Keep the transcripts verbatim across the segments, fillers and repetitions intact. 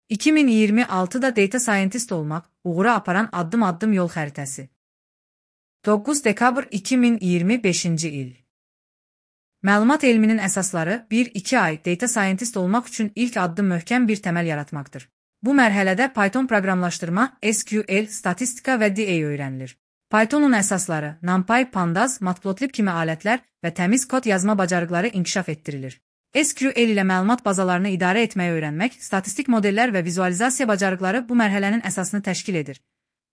iki min iyirmi altıda Data Scientist olmaq uğura aparan addım-addım yol xəritəsi. doqquz dekabr iki min iyirmi beşinci il. Məlumat elminin əsasları bir iki ay Data Scientist olmaq üçün ilk addım möhkəm bir təməl yaratmaqdır. Bu mərhələdə Python proqramlaşdırma, S Q L, statistika və D A öyrənilir. Pythonun əsasları, NumPy, Pandas, Matplotlib kimi alətlər və təmiz kod yazma bacarıqları inkişaf etdirilir. S Q L ilə məlumat bazalarını idarə etməyi öyrənmək, statistik modellər və vizualizasiya bacarıqları bu mərhələnin əsasını təşkil edir.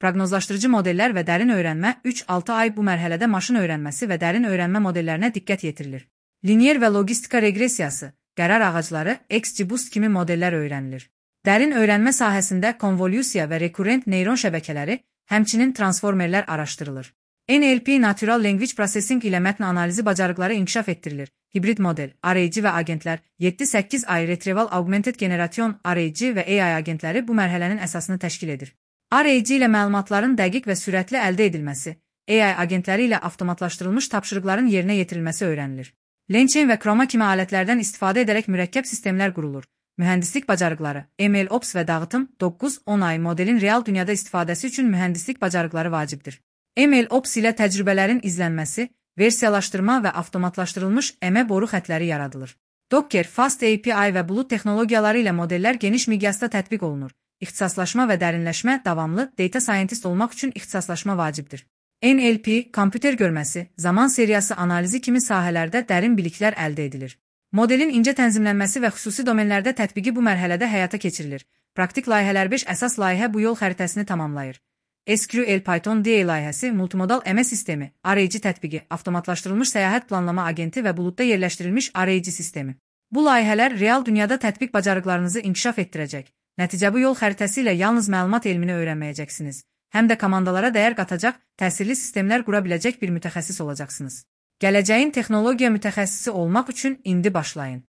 Proqnozlaşdırıcı modellər və dərin öyrənmə üç altı ay bu mərhələdə maşın öyrənməsi və dərin öyrənmə modellərinə diqqət yetirilir. Linear və logistika reqresiyası, qərar ağacları, XGBoost kimi modellər öyrənilir. Dərin öyrənmə sahəsində konvolyusiya və rekurrent neyron şəbəkələri, həmçinin transformerlər araşdırılır. N L P Natural Language Processing ilə mətn analizi bacarıqları inkişaf etdirilir. Hibrid model, arayıcı və agentlər, yeddi səkkiz ay Retrieval Augmented Generation, arayıcı və A I agentləri bu mərhələnin əsasını təşkil edir. Arayıcı ilə məlumatların dəqiq və sürətli əldə edilməsi, A I agentləri ilə avtomatlaşdırılmış tapşırıqların yerinə yetirilməsi öyrənilir. LangChain və Chroma kimi alətlərdən istifadə edərək mürəkkəb sistemlər qurulur. Mühəndislik bacarıqları, MLOps və dağıtım doqquz on ay modelin real dünyada istifadəsi üçün mühəndislik bacarıqları vacibdir. MLOps ilə təcrübələrin izlənməsi, versiyalaşdırma və avtomatlaşdırılmış əmə boru xətləri yaradılır. Docker, Fast A P I və bulut texnologiyaları ilə modellər geniş miqyasda tətbiq olunur. İxtisaslaşma və dərinləşmə davamlı, Data Scientist olmaq üçün ixtisaslaşma vacibdir. N L P, kompüter görməsi, zaman seriyası analizi kimi sahələrdə dərin biliklər əldə edilir. Modelin incə tənzimlənməsi və xüsusi domenlərdə tətbiqi bu mərhələdə həyata keçirilir. Praktik layihələr beş əsas layihə bu yol xəritəsini tamamlayır. S Q L Python D A layihəsi, multimodal əmə sistemi, arayıcı tətbiqi, avtomatlaşdırılmış səyahət planlama agenti və buludda yerləşdirilmiş arayıcı sistemi. Bu layihələr real dünyada tətbiq bacarıqlarınızı inkişaf etdirəcək. Nəticə bu yol xəritəsi ilə yalnız məlumat elmini öyrənməyəcəksiniz, həm də komandalara dəyər qatacaq, təsirli sistemlər qura biləcək bir mütəxəssis olacaqsınız. Gələcəyin texnologiya mütəxəssisi olmaq üçün indi başlayın.